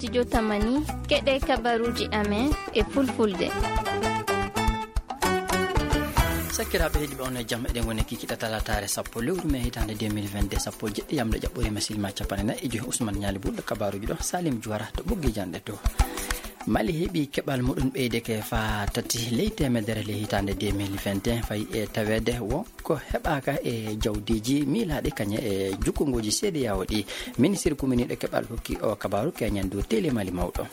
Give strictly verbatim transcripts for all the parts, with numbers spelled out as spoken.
Studio Tamani, keɗe kabaruuji amen e fulfulde. Sakiraaɓe heɗiiɓe, on e jam. Eɗen ngoni kikiɗe talataare sappo lewru mee hitaande deux mille vingt-deux, sappo e jeɗɗi yamde jaɓɓore masilma capanɗe nayi e joyi. Ousmane Ñaali Bulɗo, kabaruuji ɗo, Salim Juwara to ɓoggi janɗe to. Mali heɓi keɓal muɗum ɓeydeke faa tati ley teemedere ley hitaande deux mille vingt et un, fayi e taweede wo ko heɓaaka e jawdiiji miilaaɗi kañe e jukkonguuji C D A O ɗi. Ministir kuminiiɗo keɓal hokki o kabaaru keñen dow tele Mali mawɗo.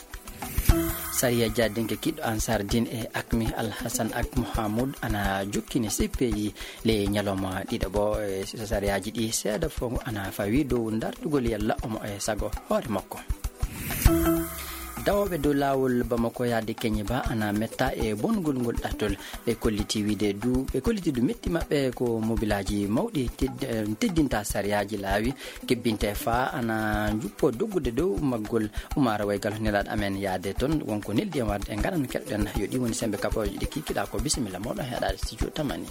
Sariya jaadinke kiɗɗo Ansar Din e Akmi Alhassan Ak Mohamoud ana jukkini C P I ley ñalawma ɗiɗaɓo. E sariyaaji ɗi seeɗa fof ana fawi dow dartugol yalla omo e sago hoore makko. Dawooɓe dow laawol Bamako yahde Keñiba ana metta e bongol ngol ɗattol. Ɓe kolliti wiyde du, ɓe kolliti du metti maɓɓe ko mobilaaji mawɗi ted-, eh, teddinta sariyaaji laawi, kebbinte faa ana njuppo doggude dow maggol. Umaara Waygal nelaaɗo amen yahde toon, wonko neldi en warde en ngaran keɗoɗen. Yo ɗi woni sembe kabaruuji ɗi kikiɗa ko. Bisimilla mooɗon heɗaade studio Tamani.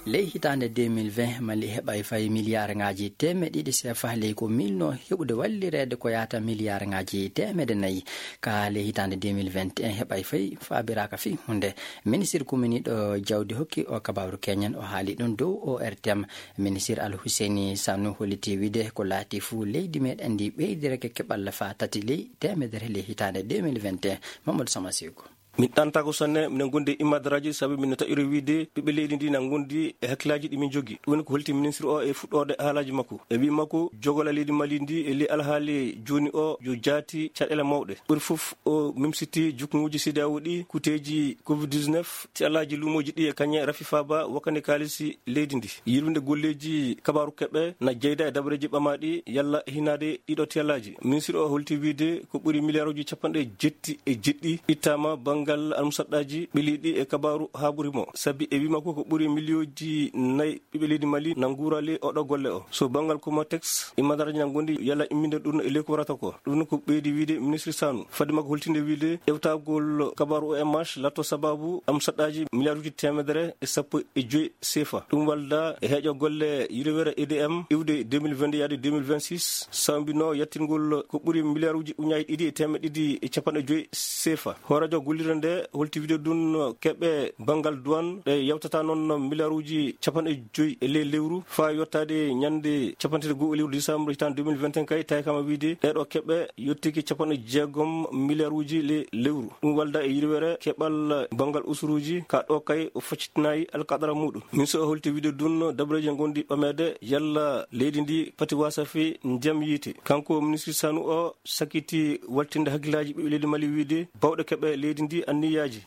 Ley hitaande deux mille vingt, Mali heɓay fay miliyaarŋaaji teemeɗe ɗiɗi seefa ley ko miilno heɓude wallireede ko yahata miliyaarŋaaji teemedde nayi. Ka ley hitaande deux mille vingt et un heɓay fay faabiraaka fii huunde. Ministir kuminiiɗo jawdi hokki o kabaaru keñen, o haali ɗum dow O R T M. Ministir Al Husseini Sanu holliti wiyde ko laati fuu leydi meɗen ndi ɓeydireke keɓal faa tati ley teemedere ley hitaande deux mille vingt et un. Mamadou Sama Seyku. Min ɗantaako sanne, minen ngondi e immadaraaji, sabu min taƴori wiyde ɓiɓɓe leydi ndi na ngondi e hakkillaaji ɗi min njogi. Ɗum woni ko holti ministre o e fuɗɗoode haalaaji makko. E wii makko, jogola leydi Mali ndi e ley alhaali jooni o yo jaati caɗeele mawɗe. Ɓuri fof o mimsiti jukkonguuji C D A O ɗi, kuteeji covid dix-neuf, tiyalaaji luumooji ɗi e kañe rafi faaba wakkande kaalisi leydi ndi. Yirwinde golleeji kabaaru keɓe na jeyda e dabareeji ɓamaaɗi yalla hinaade ɗiɗo tiyalaaji. Ministre o holti wiyde ko ɓuri miliyaaruuji capanɗe jetti e jeɗɗi ittaama banngal almusaɗɗaaji ɓiliiɗi e kabaaru haaɓuri mo. Sabi e wii makko ko ɓuri miliyooji nayi ɓiɓɓe leydi Mali na nguura ley oɗo golle o. So banngal Comatex, immadaraaji na ngondi yalla imminde ɗum e ley ko warata ko. Ɗum ko ɓeydi wiyde ministre Sanu. Fadde makko holtinde wiyde ƴewtagol kabaaru O M H latto sababu almusaɗɗaaji miliyaaruuji teemedere e sappo e joyi seefa. Ɗum walda e heeƴo golle yirwere E D M iwde deux mille vingt-deux yaade deux mille vingt-six, sambino yettingol ko ɓuri miliyaaruuji uñaaji ɗiɗi e teemeɗe ɗiɗi e capanɗe joyi seefa. Hooreejo gollirde nde holti wiyde ɗum keɓe banngal duwan ɗe yawtata noon miliyaaruuji capanɗe joyi e ley lewru faa yottaade ñande capanɗe tati e go'o lewru décembre hitaande deux mille vingt et un kay, tawi kama wiyde ɗeeɗo keɓe yottiki capanɗe jeegom miliyaaruuji le-, lewru. Ɗum walda e yirwere keɓal banngal usuruuji, ka ɗo kay o faccitinayi alkadara muɗum. Ministre o holti wiyde ɗum dabareeji ngondi ɓameede yalla leydi ndi pati wasafi ndiyam yiite. Kanko ministre Sanu o sakiti waltinde hakkillaaji ɓiɓɓe leydi Mali wiyde bawɗe keɓe leydi ndi anniyaaji.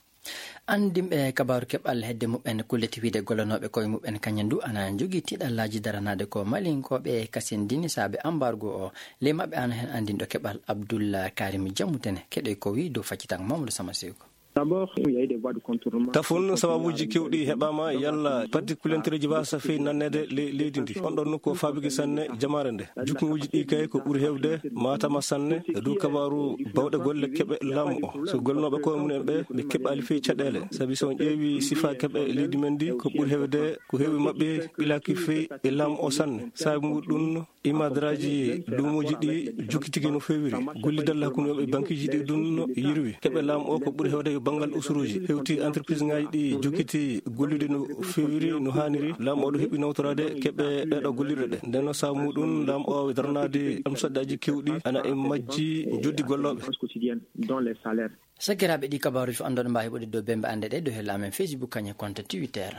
Anndinɓe kabaaru keɓal hedde muɓɓen kulliti wiyde gollanooɓe koye muɓɓen kañum du ana njogii tiiɗallaaji daranaade ko Malinkooɓe kasindini saabe ambargo o. Ley maɓɓe ana heen anndinɗo keɓal Abdoul Karim Diamoutene. Keɗoy ko wii dow faccitango Mamadou Sama Seyko. D'abord, il y a eu des voies de contournement. Tafon sababuuji keewɗi heɓaama yalla parti kulentereeji waasa fey nanneede le-, leydi ndi. On ɗon ko faabiki sanne jamaare nde. Jukkonguuji ɗi kay ko ɓuri heewde maatama sanne e dow kabaaru bawɗe golle keɓe laamu o. So golnooɓe koye mumen ɓe, ɓe keɓaali fey caɗeele. Sabi so on ƴeewi sifaa keɓe leydi men ndi, ko ɓuri heewde ko heewi maɓɓe ɓilaaki fey e laamu o sanne. Sabi muɗum, imadaraaji luumooji ɗi jokkitiki no feewiri. Gollidal hakkunde maɓɓe e bankiiji ɗi ɗum no yirwi. Keɓe laamu o ko ɓuri heewde e banngal usuruuji. Hewti entreprise ŋaaji ɗi jokkiti gollude no feewiri, no haaniri. Laamu o ɗo heɓi nawtoraade keɓe ɗeɗo gollirɗe ɗe. Nden no sabu muɗum laamu o daranaade almusaɗɗaaji keewɗi ana e majji joddi gollooɓe. Sakiraaɓe, ɗi kabaaruuji fof annduɗon mbaawi heɓude dow bembe annde ɗe dow hella amen Facebook kañum e compte Twitter.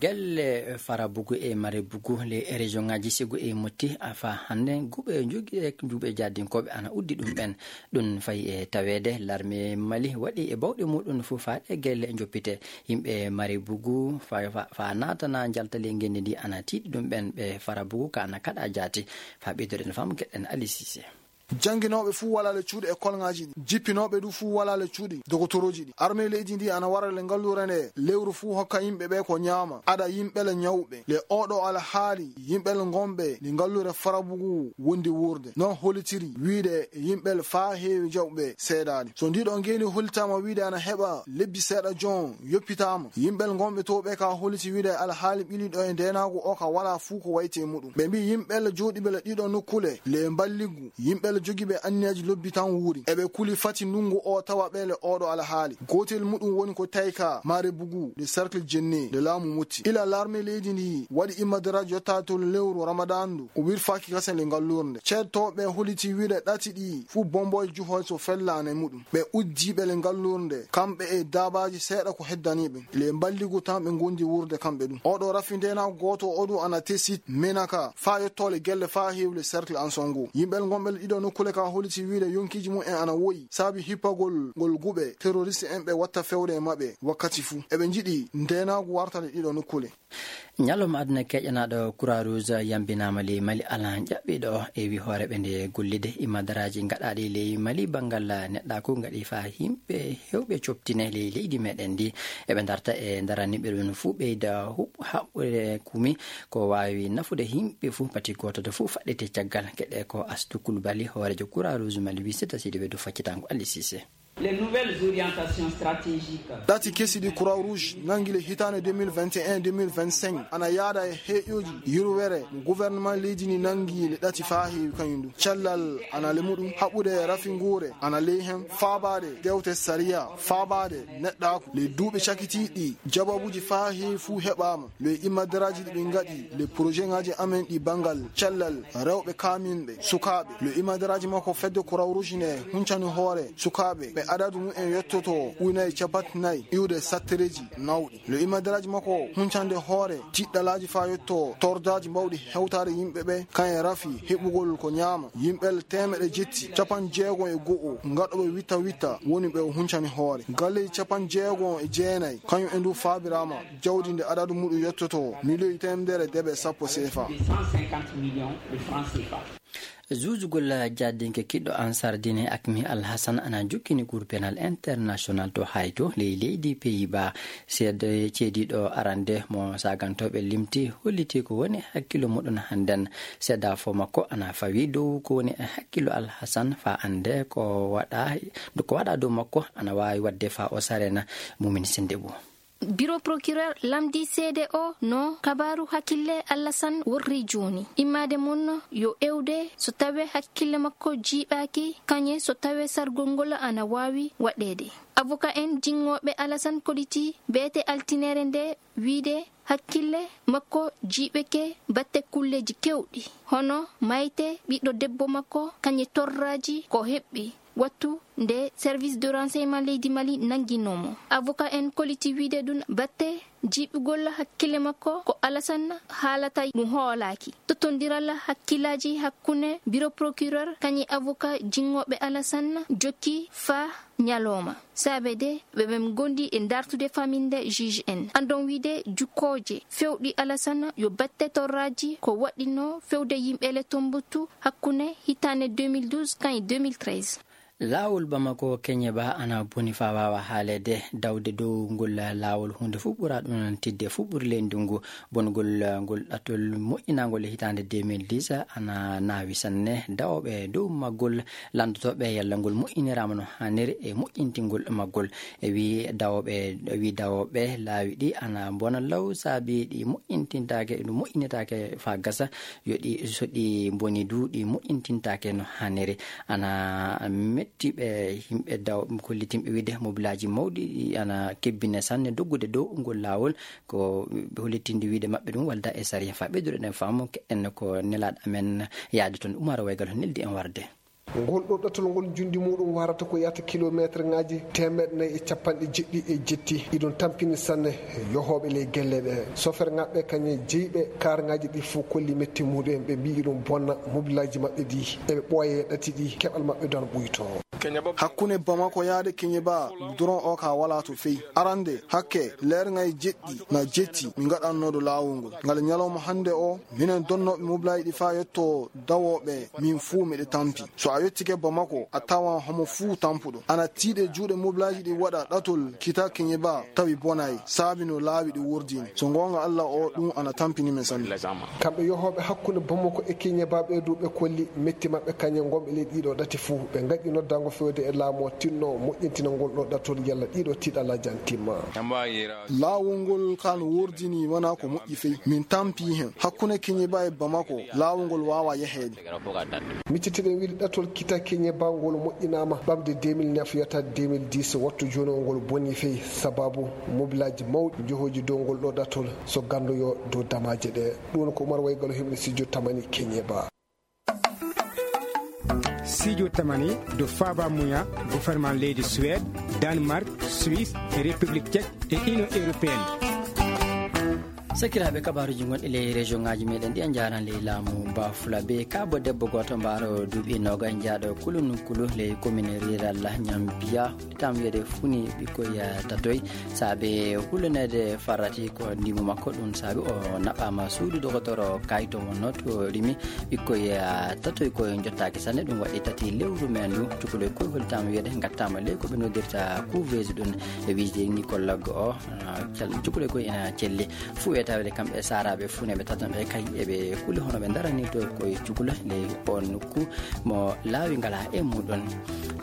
Gelle Farabugu e Marebugu, les région ŋaaji Segu e Motti, a fa hannde guɓe jogi e juuɓe jaadinkooɓe ana uddi ɗum ɓen. Ɗum fayi e taweede larme Mali waɗi e bawɗe muɗum fof faa ɗe gelle joppite. Yimɓe Marebugu fa, fa, fa naatana njalta ley ngenndi ndi ana tiiɗi ɗum ɓen ɓe Farabugu ka ana kaɗa jaati. Fa ɓeydoɗen faamu keɗen Ali Cissé. Jannginooɓe fuu walaa le cuuɗi e kolŋaaji ɗi. Jippinooɓe du fuu walaa le cuuɗi dogotorooji ɗi. Armée leydi ndi ana wara le ngalluure nde lewru fuu hokka yimɓe ɓe ko ñaama. Aɗa yimɓe le ñawɓe. Le oɗo alhaali yimɓe le ngonɓe ndi ngalluure Farabugu wondi wuurde. Non holitiri wiide yimɓe le faa heewi jaɓuɓe seedaali. So ndiɗo ngeeni holitaama wiide ana heɓa lebbi seeɗa jon yoppitaama. Yimɓe le ngonɓe to ɓe ka holiti wiide alhaali ɓiliɗo e ndeenaagu o ka walaa fuu ko wayti e muɗum. Ɓe mbii yimɓe le jooɗiɓe le ɗiɗo nokkule le mballigu. Yimɓe le jogiiɓe anniyaji lobbi tan wuuri. Eɓe kuli fati ndunngu o tawa ɓe le oɗo alhaali. Gootel muɗum woni ko tawi ka Mare Bugu, le cercle Jenne, le laamu Motti. Ila larme leydi ndi waɗi immadaraaji yotta to lewru Ramadan ndu. O wirfaaki kasen le ngallurde. Ceedtooɓe holiti wiide ɗati ɗi fuu bombo e juho so fellaane muɗum. Ɓe uddiiɓe le ngallurde. Kamɓe e daabaaji seeɗa ko heddaniiɓe. Le mballigu tan ɓe ngondi wuurde kamɓe ɗum. Oɗo rafi ndeenaagu gooto o ɗum ana tesit menaka. Faa yottoole gelle faa heewle cercle Ansongo. Yimɓe ngonɓe le ɗiɗo nokkule ka holiti wiide yonkiiji mum en ana woyi. Saabi hippagol ngol guɓe terroriste en ɓe watta fewre e maɓɓe wakkati fuu. Eɓe njiɗi ndeenaagu wartale ɗiɗo nokkule. Ñalawma aduna keƴanaaɗo Croix Rouge yambinaama ley Mali alan ƴaɓɓiiɗo e wi hooreɓe nde gollide imadaraaji gaɗaaɗi ley Mali banngal neɗɗaaku gaɗi faa yimɓe hewɓe coptine ley leydi meɗen ndi. Eɓe darta e daraniɓe ɗum fuu ɓeyda huɓ-, haɓɓude kumi ko waawi nafude yimɓe fuu pati gooto to fuu faɗɗite caggal. Keɗe ko Astu Kulbali hoorejo Croix Rouge Mali wi sita sidi ɓe du faccitango Ali Cissé. Les nouvelles orientations stratégiques. Ɗati kesi ɗi Croix Rouge nangi le hitaande deux mille vingt et un deux mille vingt-cinq ana yaada e heƴoji yurwere mo gouvernement leydi ni nangi le ɗati faa heewi kañum ɗum. Cellal ana le muɗum, haɓude rafi nguure ana ley hen, faabaade dewte sariya, faabaade neɗɗaaku. Le duuɓi cakitiiɗi jababuji faa heewi fuu heɓaama. Le imadaraaji ɗi ɓe ngaɗi, le projet ngaji amen ɗi banngal cellal rewɓe kaaminɓe, sukaaɓe. Le imadaraaji makko fedde Croix Rouge ne huncani hoore sukaaɓe ɓe adadu mum en yottoto ujunaaji cappanɗe nayi iwde sattereeji nawɗi. Le imadaraaji makko huncande hoore tiɗɗalaaji faa yotto tordaaji mbawɗi hewtaade yimɓe ɓe, kañe rafi heɓugol ko ñaama. Yimɓe teemeɗe jetti, cappanɗe jeego e go'o ngaɗooɓe witta witta woni ɓe o huncani hoore. Galleeji cappanɗe jeego e jeenayi, kañum en du faabiraama jawdi nde adadu muɗum yottoto miliyoŋ teemedere deeɓe sappo C F A. Juujugol jaadinke kiɗɗo Ansar Dine Akmi Al Hassan ana jokkini Cour pénal international to Haye to ley leydi Pays-Bas. Seed-, ceediiɗo arande mo saagantooɓe limti holliti ko woni hakkillo muɗum hannden. Seedafo makko ana fawi dow ko woni hakkillo Al Hassan faa annde ko waɗa, ko waɗa dow makko ana waawi waɗde faa o sarena. Mumin Sendebo. Biro procureur lamdi seede o no kabaaru hakkille Alasan worri jooni. Immaade mum yo ewde so tawee hakkille makko jiiɓaaki, kañe so tawee sargol ngol ana waawi waɗeede. Avocat en jinnooɓe Alasan koliti beete altineere nde wiide hakkille makko jiiɓeke batte kulleeji keewɗi, hono mayte ɓiɗɗo debbo makko, kañe torraaji ko heɓɓi wattu nde service de renseignement leydi Mali nannginoo mo. Avocat en koliti wiide ɗum batte jiiɓugol hakkille makko ko Alasan haalata ɗum hoolaaki. Tottondiral hakkillaaji hakkunde biro procureur kañi avocat jinnooɓe Alasan jokki faa ñalooma. Saabeede ɓe ɓen ngondi e dartude faminde juge en. Anndon wiide jukkooje fewɗi Alasan yo batte torraaji ko waɗɗinoo fewde yimɓe le Tombouctou hakkunde hitaande deux mille douze kañi deux mille treize. Laawol Bamako Keñeba ana boni faa waawa haaleede. Dawde dow ngol laawol huunde fuu ɓura ɗum tidde fuu ɓuri ley ndungu. Bongol ngol ɗatol moƴƴinaangol e hitaande deux mille dix ana naawi sanne. Dawooɓe dow maggol lanndotooɓe yalla ngol moƴƴiniraama no haaniri e moƴƴintingol maggol. E wii dawooɓe, e wii dawooɓe laawi ɗi ana mbona law saabi ɗi moƴƴintintaake, ɗum moƴƴinitaake faa gasa. Yo ɗi, so ɗi mboni du, ɗi moƴƴintintaake no haaniri. Ana metti ɓe yimɓe daw-, kollitinɓe wiide mobilaaji mawɗi ɗi ana kebbine sanne doggude dow ngol laawol. Ko hollitinde wiide maɓɓe ɗum walda e sariya. Faa ɓeydude ɗen faamu, keɗen ko nelaaɗo amen yaade toon, Umar Waygal, neldi en warde. Ngol ɗo ɗatol ngol njundi muɗum warata ko yahata kilomeeterŋaaji teemeɗɗe nayi e cappanɗe jeɗɗi e jetti. Iɗum tampini sanne yohooɓe ley gelle ɗe. Soferŋaaɓe kañe jeyiɓe kaarŋaaji ɗi fof kolli metti muɗum en. Ɓe mbii iɗum bonna mobilaaji maɓɓe ɗi. Eɓe ɓooya e ɗati ɗi, keɓal maɓɓe du ana ɓuytoo. Hakkunde Bamako yaade Keñeba, duron o ka wala to fey. Arande, hakke, leerŋay jeɗɗi na jetti mi ngaɗannooɗo laawol ngol. Ngal ñalawma hannde o, minen donnooɓe mobilaaji ɗi faa yetto dawooɓe, min fuu miɗe tampi. So a yettike Bamako, a tawan homo fuu tampuɗo. Ana tiiɗe juuɗe mobilaaji ɗi waɗa ɗatol kita Keñeba, tawi bonay, saabi no laawi ɗi wurdini. So ngoonga Alla o, ɗum ana tampini men sanne. Kamɓe yohooɓe hakkunde Bamako e Keñeba ɓe du ɓe kolli metti maɓɓe kañe ngonɓe ley ɗiɗo ɗati fuu. Ɓe ngaƴi noddaango fewde e laamu o tinno moƴƴintina ngol ɗo ɗatol yalla ɗiɗo tiiɗalla jantimma. Laawol ngol kaa no wurdini wonaa ko moƴƴi fey. Min tampii hen. Hakkunde Keñeba e Bamako, laawol ngol waawaa yaheede. Miccitiɗen wiyde ɗatol kita Keñeba ngol moƴƴinaama ɓamde deux mille neuf yetta deux mille dix, wattu jooni o ngol boni fey sababu mobilaaji mawɗi njohoji dow ngol ɗo ɗatol so ganndoyo dow damaaje ɗe. Ɗum ko Umar Waygalo himɓe studio Tamani Keñeba. Studio Tamani do faaba muya gouvernement leydi Suède, Danemark, Suisse, République Tchèque et Union Européenne. Sakiraaɓe, kabaaruuji gonɗi ley région ŋaaji meɗen ɗi a njaaran ley laamu Bafulabe. Kaabo debbo gooto mbaaro duuɓi noogay jaaɗo kulun kulu ley commune rural Ñambiya. Tam wiyede funi ɓikkoy, eh, tatoy. Saabe hulunede farrati ko ndimu makko, ɗum saabi o naɓama suudu dogotoro kayto mo noto rimi ɓikkoy, eh, tatoy ko jottaaki sanne. Ɗum waɗi tati lewru men ndu cukalel koy holi tam wiyede gattama ley ko ɓe noddirta couveuse ɗum e wiide gynécologue o, ah, cal-, cukalel koy ina celli. Fuu e tawde kamɓe saaraaɓe fuu ne ɓe tatan ɓe kay eɓe kuli hono ɓe darani to koye cukula ley on nokku mo laawi ngala e muɗon.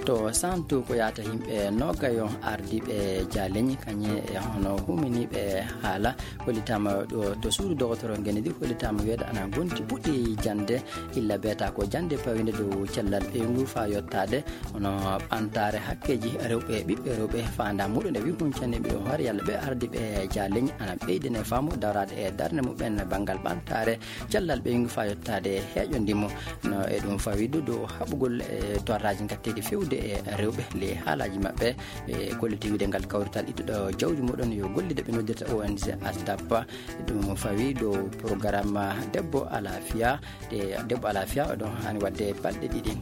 To Santu ko yaata yimɓe nogayo ardiiɓe jaaleñi kañe e hono huminiiɓe haala hollitaama ɗo to suudu dogotoro Ngenedi hollitaama weeɗa ana gonti puɗɗi jannde illa beeta ko jannde pawinde dow cellal ɓeyngu faa yottaade hono ɓantaare hakkeeji rewɓe, ɓiɓɓe rewɓe, faandaare muɗum e wi huncande mbiɗo hoore yalla ɓe ardiiɓe jaaleñi ana ɓeydene faamu daraade e darnde muɓɓen banngal ɓantaare cellal ɓeyngu faa yottaade heeƴo ndimu. No e ɗum fawi du dow haɓugol e torraaji ngatteeɗi fewde e rewɓe ley haalaaji maɓɓe e kolliti wiide ngal kawrital ittuɗo jawdi muɗum yo gollide ɓe noddirta O N G ASDAP. Ɗum fawi dow programme debbo alaafiya. Ɗe debbo alaa fiya, oɗon haani waɗde balɗe ɗiɗi.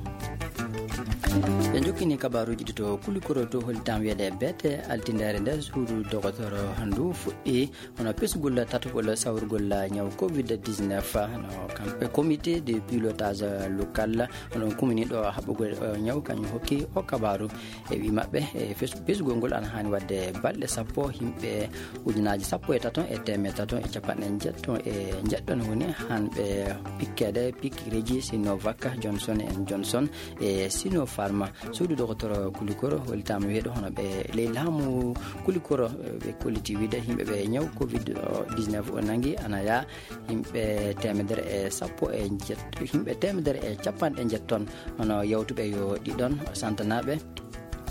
Ɓe jokkini kabaaruuji ɗi to Kulikoro to hollitam wiyeede beete altindere nde suudu dogotoro ndu fuɗɗi hono pesgol tatugol sawrugol ñaw covid dix-neuf. No kamɓe comité de pilotage local, hono kuminiiɗo haɓɓugol, eh, ñaw kañum hokki o kabaaru. E wi maɓɓe, e fes-, pesgol ngol ana haani waɗde balɗe sappo, yimɓe ujunaaji sappo e taton e teemeɗe taton e capanɗe njeɗɗon e njeɗɗon woni hanɓe pikkeede pikireeji Sinovac, Johnson and Johnson e Sinopharm. Suudu dogotoro Kulikoro hollitaama wiyeede hono ɓe ley laamu Kulikoro, ɓe kolliti wiide yimɓe ɓe ñaw covid dix-neuf o nangi ana yaa yimɓe teemedere e sappo e njet-, yimɓe teemedere e capanɗe njetton. Hono yawtuɓe yo ɗiɗon santanaaɓe,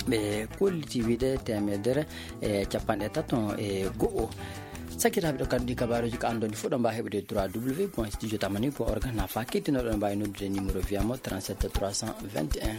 ɓe kolliti wiide teemedere e capanɗe taton e go'o. Sakkitaaɓe ɗo kadi ɗi kabaaruuji ko anndon fof ɗo mbaawi heɓude trois W point studio tamani point org. Nafa kettinoɗo no mbaawi noddude numéro wiyamo trente-sept trois cent vingt et un.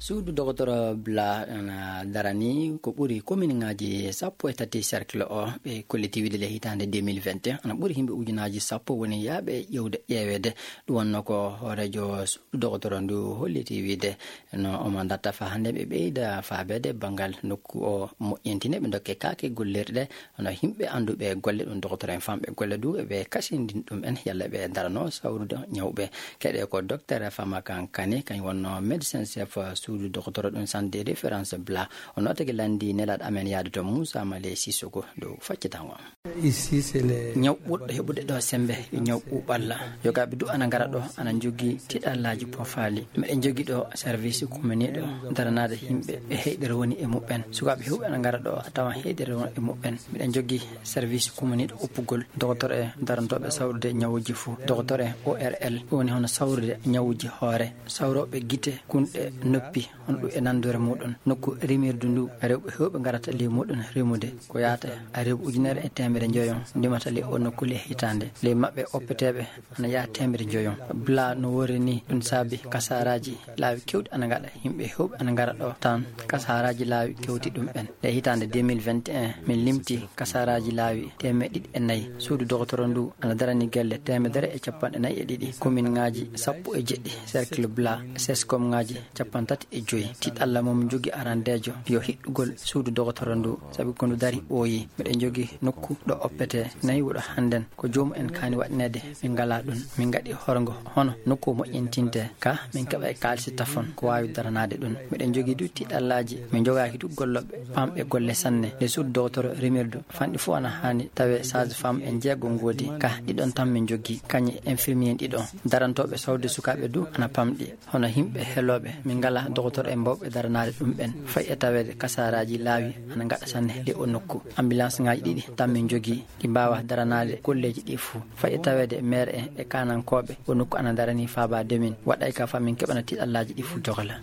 Suudu dogotoro Bla ena darani ko ɓuri kominŋaaji sappo e tati cercle o, ɓe kolliti wiide le hitaande deux mille vingt et un, ana ɓuri yimɓe ujunaaji sappo woni yaaɓe ƴeewde, ƴeeweede. Ɗum wonnoo ko hooreejo suudu dogotoro ndu holliti wiide no omo darta faa hannde ɓe ɓeyda faabeede banngal nokku o moƴƴintine, ɓe ndokke kaake gollirɗe. Hono yimɓe annduɓe golle ɗum, dogotoro en famɓe golle du, ɓe kasindin ɗum en, yalla ɓe darano sawrude ñawɓe. Keɗe ko docteur Fama Kankane, kañum wonno médecin chef suudu dogotoro ɗum centre de référence Bla. O nootake lanndi nelaaɗo amen yaade to Moussa Malé Sissoko dow faccitango. Ici, c'est les Ñaw ɓurɗo heɓude ɗo sembe, yo ñaw ɓuuɓalla. Yogaaɓe du ana ngara ɗo, ana njogii tiɗallaaji poofaali. Miɗen njogii ɗo service kumaniiɗo daranaade yimɓe ɓe heyɗere woni e muɓɓen. Sukaaɓe heewɓe ana ngara ɗo, a tawan heyɗere woni e muɓɓen. Miɗen njogii service kumaniiɗo uppugol, dogotoro e darantooɓe sawrude ñawuuji fuu, dogotoro e O R L, ɗum woni hono sawrude ñawuuji hoore, sawrooɓe gite, kunɗe, noppi, Hono ɗum e nanndoore muɗum, nokku rimirdu ndu, rewɓe heewɓe ngarata ley muɗum rimude. Ko yaata e rewɓe ujunere e teemedere njoyon ndimata ley o nokku ley hitaande. Ley maɓɓe oppeteeɓe ana yaha teemedere njoyon. Bla no worri ni, ɗum saabi kasaaraaji laawi kewɗi ana ngaɗa, yimɓe heewɓe ana ngara ɗo tan. Kasaaraaji laawi kewti ɗum ɓen. Ley hitaande deux mille vingt et un, min limti kasaaraaji laawi teemeɗɗe ɗiɗi e nayi. Suudu dogotoro ndu ana darani gelle teemedere e capanɗe nayi e ɗiɗi, komin ŋaaji sappo e jeɗɗi, cercle bla, seskom ŋaaji capanɗe tati e joyi. Tiɗalla mo min jogi arandeejo yo hiɗɗugol suudu dogotoro ndu, sabi ko ndu dari ɓooyi. Miɗen jogi nokku ɗo oppete nayi wuɗo hannden. Ko joomum en kaani waɗineede, min ngalaa ɗum. Min ngaɗi horgo hono nokku moƴƴintinte, ka min keɓa e kaalisi tafon ko waawi daranaade ɗum. Miɗen jogii du tiɗallaaji, min jogaaki du gollooɓe pamɓe golle sanne. Nde suudu dogotoro rimirdu fanɗi fof ana haani tawe sage femme en jeego ngoodi, ka ɗiɗon tan min jogii, kañe infirmier ɗiɗon. Darantooɓe sawde sukaaɓe du ana pamɗi. Hono yimɓe helooɓe, min ngalaa dogotoro en mbawɓe daranaade ɗum ɓen. Fay e taweede kasaaraaji laawi ana ngaɗa sanne ley o nokku. Ambulance ŋaaji ɗiɗi tan min jogii, ɗi mbaawa daranaade golleeji ɗi fuu. Fay e taweede maire en e kaanankooɓe, o nokku ana daranii faabaade min. Waɗay ka fa min keɓana tiɗallaaji ɗi fuu jogola.